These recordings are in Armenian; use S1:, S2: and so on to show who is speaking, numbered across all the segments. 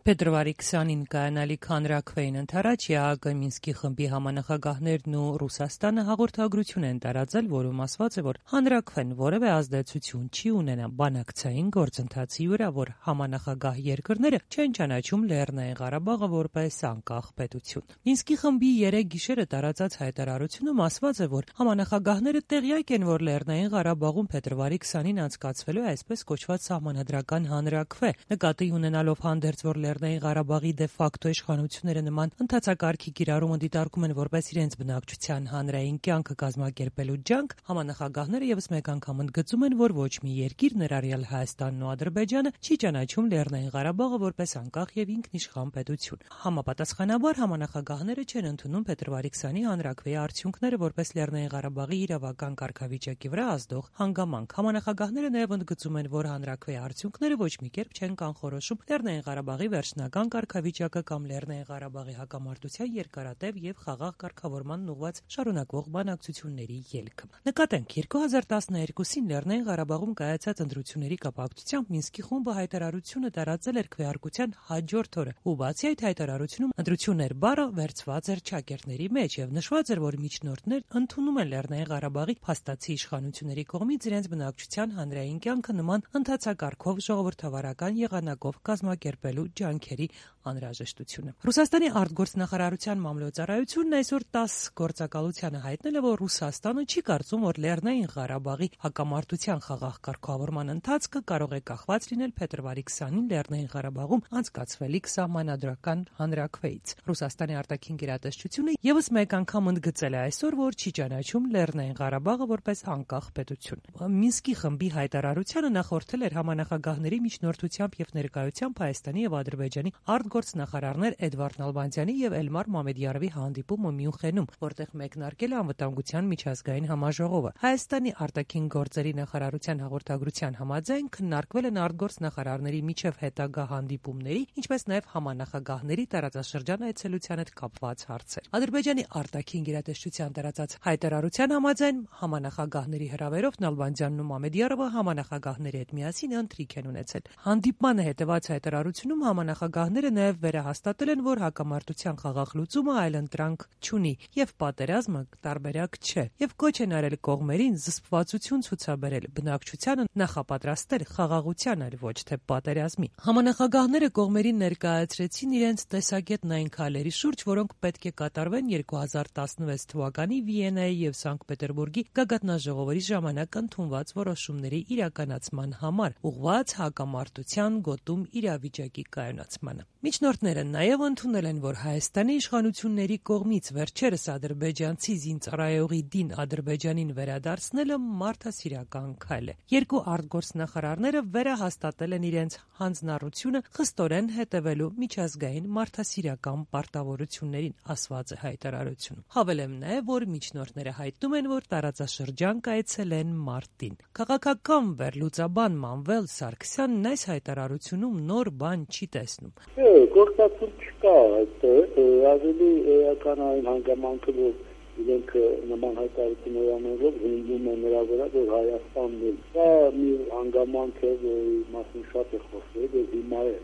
S1: Փետրվարի 20-ին կայանալիք հանրաքվեին ընթരാճ ԵԱՀԿ Մինսկի խմբի համանախագահներն ու Ռուսաստանը հաղորդագրություն են տարածել, որում ասված է, որ հանրաքվեն որևէ ազդեցություն չի ունենա բանակցային գործընթացի վրա, որ համանախագահ երկրները չեն ճանաչում Լեռնային Ղարաբաղը որպես անկախ պետություն։ Մինսկի խմբի 3 գիշերը տարածած հայտարարությունում ասված է, որ համանախագահները տեղյակ են, որ Լեռնային Ղարաբաղում փետրվարի 20-ին անցկացվելու է այսպես կոչված սահմանադրական հանրաքվե, նկատի ունենալով հանդերձ, որ Լեռնային Ղարաբաղի դե ֆակտո իշխանությունները նման ընթացակարգի կիրառումը դիտարկում են որպես իրենց բնակչության հանրային կյանքը կազմակերպելու ջանք, համանախագահները ևս մեկ անգամ ընդգծում են, որ ոչ մի երկիր, ներառյալ Հայաստանն ու Ադրբեջանը, չի ճանաչում Լեռնային Ղարաբաղը որպես անկախ եւ ինքնիշխան պետություն։ Համապատասխանաբար համանախագահները չեն ընդունում փետրվարի 20-ի հանրաքվեի արդյունքները որպես Լեռնային Ղարաբաղի իրավական կարգավիճակի վրա ազդող հանգամանք։ Համանախագահները նաեւ ընդգծում են, որ հանրաքվեի արդյունքները ոչ մի կերպ չեն կանխորոշում Լեռնային Ղարաբաղի վերջնական կարգավիճակը կամ Լեռնային Ղարաբաղի հակամարտության երկարատև եւ խաղաղ կարգավորման ուղղված շարունակվող բանակցությունների ելքը։ Նկատենք 2012-ին Լեռնային Ղարաբաղում կայացած ընտրությունների կապակցությամբ Մինսկի խումբը հայտարարությունը տարածել էր քվեարկության հաջորդ օրը, ու բացի այդ հայտարարությունում ընտրություններ բառը վերցված էր ճակերտների մեջ եւ նշված էր, որ միջնորդներն ընդունում են Լեռնային Ղարաբաղի փաստացի իշխանությունների կողմից իրենց բնակչության հանրային կյանքը նման ընթացակարգով ժողովրդավարական եղանակով կազմակերպելու ջանքերի անհրաժեշտությունը։ Ռուսաստանի արտգործնախարարության մամլոյցարայությունն այսօր 10 գործակալությանը հայտնել է, որ Ռուսաստանը չի կարծում, որ Լեռնային Ղարաբաղի հակամարտության խաղաղ կարգավորման ընթացքը կարող է կախված լինել փետրվարի 20-ին Լեռնային Ղարաբաղում անցկացվելիք սահմանադրական հանրաքվեից։ Ռուսաստանի արտաքին գերատեսչությունը ևս մեկ անգամ ընդգծել է այսօր, որ չի ճանաչում Լեռնային Ղարաբաղը որպես անկախ պետություն։ Մինսկի խմբի հայտարարությանը նախորդել էր համանախագահների միջնորդությամբ եւ ներկայությամբ Հայաստանի եւ Ադրբեջանի արտգործնախարարներ Էդվարդ Նալբանդյանի եւ Էլմար Մամեդյարովի հանդիպումը Մյունխենում, որտեղ մեկնարկել է անվտանգության միջազգային համաժողովը։ Հայաստանի արտաքին գործերի նախարարության հաղորդագրության համաձայն քննարկվել են արտգործնախարարների միջև հետագա հանդիպումների, ինչպես նաեւ համանախագահների տարածաշրջան այցելության հետ կապված հարցեր։ Ադրբեջանի արտաքին գերատեսչության տարածած հայտարարության համաձայն համանախագահների հրավերով Նալբանդյանն ու Մամեդյարովը համանախագահների հետ միասին ընթրիք են ունեցել։ Հանդիպմանը հետևած հայտարարությունում համանախագահները նաև վերահաստատել են, որ հակամարտության խաղաղ լուծումը այլընտրանք չունի եւ պատերազմը տարբերակ չէ, եւ կոչ են արել կողմերին զսպվածություն ցուցաբերել, բնակչությանը նախապատրաստել խաղաղության, այլ ոչ թե պատերազմի։ Համանախագահները կողմերին ներկայացրեցին իրենց տեսակետն այն քայլերի շուրջ, որոնք պետք է կատարվեն 2016 թվականի Վիեննայի եւ Սանկտ Պետերբուրգի գագաթնաժողովների ժամանակ ընդունված որոշումների իրականացման համար, ուղղված հակամարտության գոտում իրավիճակի կայունացմանը։ Միջնորդները նաև ընդունել են, որ Հայաստանի իշխանությունների կողմից վերջերս ադրբեջանցի զինծառայողի դին Ադրբեջանին վերադարձնելը մարդասիրական քայլ է։ Երկու արտգործնախարարները վերահաստատել են իրենց հանձնառությունը խստորեն հետևելու միջազգային մարդասիրական պարտավորություններին, ասված է հայտարարությունում։ Հավելեմ նաև, որ միջնորդները հայտնում են, որ տարածաշրջան կայցելեն մարտին։ Քաղաքական վերլուծաբան Մանվել Սարգսյանն այս հայտարարությունում նոր բան չի տեսնում։
S2: Գործածում չկա, ավելի էական այն հանգամանքը, որ իրենք նման հայտարարություններ անելով հնգում են նրա վրա, որ Հայաստանն է։ Դա մի հանգամանք է, որի մասին շատ է խոսվել, եւ հիմա է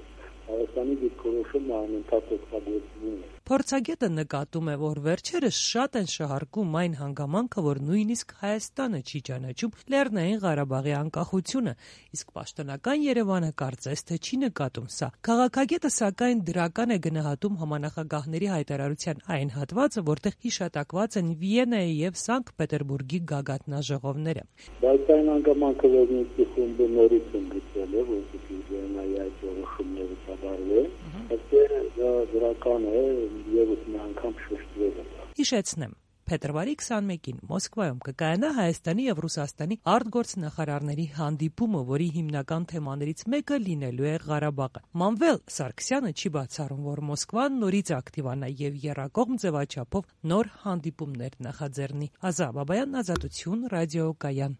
S2: Հայաստանի դիրքորոշումն անընդհատ օգտագործվում է։
S1: Փորձագետը նկատում է, որ վերջերս շատ են շահարկում այն հանգամանքը, որ նույնիսկ Հայաստանը չի ճանաչում Լեռնային Ղարաբաղի անկախությունը, իսկ պաշտոնական Երևանը կարծես թե չի նկատում սա։ Քաղաքագետը սակայն դրական է գնահատում համանախագահների հայտարարության այն հատվածը, որտեղ հիշատակված են Վիեննայի եւ Սանկտ Պետերբուրգի գագաթնաժողովները։
S2: Բայց այն հանգամանքը, որ Մինսկի խումբը նորից ընդգծել է, որպեսզի Վիեննայի այդ որոշումները կատարվեն, դա դրական է եւս մի անգամ շեշտվել է։
S1: Հիշեցնեմ, փետրվարի 21-ին Մոսկվայում կկայանա Հայաստանի եւ Ռուսաստանի արտգործնախարարների հանդիպումը, որի հիմնական թեմաներից մեկը լինելու է Ղարաբաղը։ Մանվել Սարգսյանը չի բացառում, որ Մոսկվան նորից ակտիվանա եւ եռակողմ ձևաչափով նոր հանդիպումներ նախաձեռնի։ Ազա Բաբայան, Ազատություն, ռադիոկայան։